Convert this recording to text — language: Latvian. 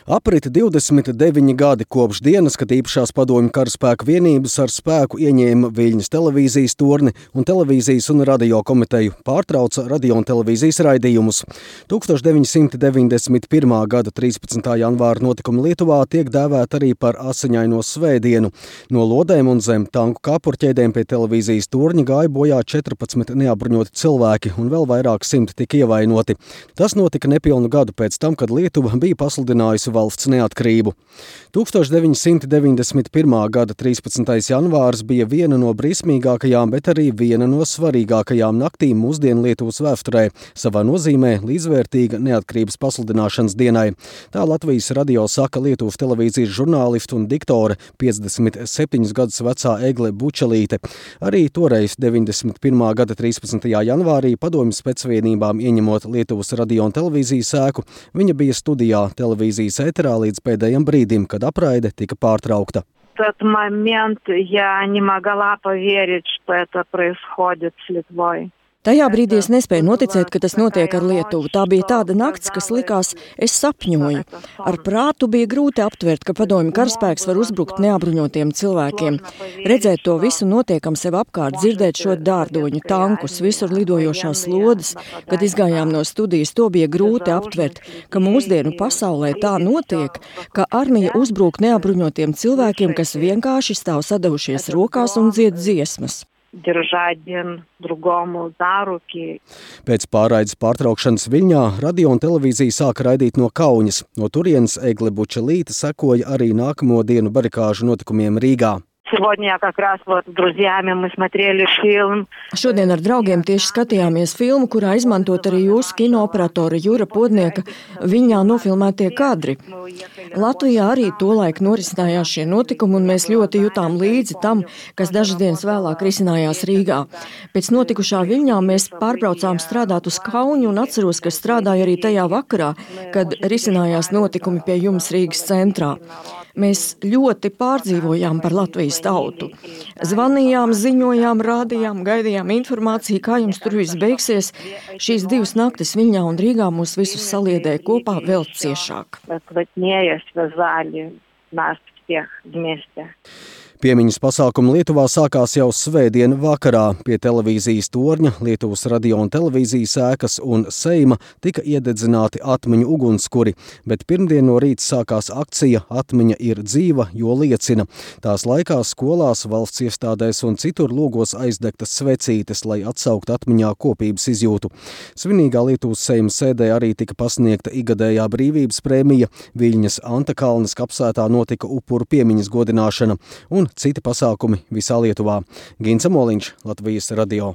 Aprita 29 gadi kopš dienas, kad īpašās padomju karaspēku vienības ar spēku ieņēma Viļņas televīzijas torni un televīzijas un radio komiteju pārtrauca radio un televīzijas raidījumus. 1991. gada 13. janvāra notikumi Lietuvā tiek dēvēti arī par asiņaino svētdienu. No lodēm un zem tanku kāpurķēdēm pie televīzijas torņa gāja bojā 14 neapbruņoti cilvēki un vēl vairāk 100 tika ievainoti. Tas notika nepilnu gadu pēc tam, kad Lietuva bija pasludinājusi valsts neatkarību. 1991. gada 13. janvārs bija viena no briesmīgākajām, bet arī viena no svarīgākajām naktīm mūsdienu Lietuvas vēsturē, savā nozīmē līdzvērtīga neatkarības pasludināšanas dienai. Tā Latvijas radio saka Lietuvas televīzijas žurnāliste un diktore 57 gadus vecā Egle Bučelīte. Arī toreiz 91. gada 13. janvārī padomju specvienībām ieņemot Lietuvas radio un televīzijas ēku, viņa bija studijā televīzijas ēterā līdz pēdējiem brīdim, kad apraide tika pārtraukta. В тот момент я не могла поверить, что это происходит с Литвой. Tajā brīdī es nespēju noticēt, ka tas notiek ar Lietuvu. Tā bija tāda nakts, kas likās, es sapņoju. Ar prātu bija grūti aptvert, ka padomju karaspēks var uzbrukt neapbruņotiem cilvēkiem. Redzēt to visu notiekam sev apkārt, dzirdēt šo dārdoņu, tankus, visur lidojošās lodes. Kad izgājām no studijas, to bija grūti aptvert, ka mūsdienu pasaulē tā notiek, ka armija uzbruk neapbruņotiem cilvēkiem, kas vienkārši stāv sadavušies rokās un dzied dziesmas. Pēc pārraides pārtraukšanas Viļņā radio un televīzija sāka raidīt no Kaunas. No turienes Egle Bučelīte sekoja arī nākamo dienu barikāžu notikumiem Rīgā. Šodien ar draugiem tieši skatījāmies filmu, kurā izmantot arī jūsu kinooperatora Jura Podnieka Viļņā nofilmētie kadri. Latvijā arī tolaik norisinājās šie notikumi, un mēs ļoti jutām līdzi tam, kas dažas dienas vēlāk risinājās Rīgā. Pēc notikušā Viļņā mēs pārbraucām strādāt uz Kaunu, un atceros, ka strādāju arī tajā vakarā, kad risinājās notikumi pie jums Rīgas centrā. Mēs ļoti pārdzīvojām par Latvijas tautu. Zvanījām, ziņojām, rādījām, gaidījām informāciju, kā jums tur viss beigsies. Šīs divas naktis Viļņā un Rīgā mūs visus saliedēja kopā vēl ciešāk. Piemiņas pasākumi Lietuvā sākās jau svētdien vakarā. Pie televīzijas torņa, Lietuvas radio un televīzijas ēkas un Seima tika iededzināti atmiņu ugunskuri, bet pirmdien no rīta sākās akcija Atmiņa ir dzīva, jo liecina. Tās laikā skolās, valsts iestādēs un citur logos aizdegtas svecītes, lai atsauktu atmiņā kopības izjūtu. Svinīgā Lietuvas Seima sēdē arī tika pasniegta igadējā brīvības prēmija, Viļņas Antakalnes kapsētā notika upuru piemiņas godināšana un citi pasākumi visā Lietuvā. Gins Amoliņš, Latvijas radio.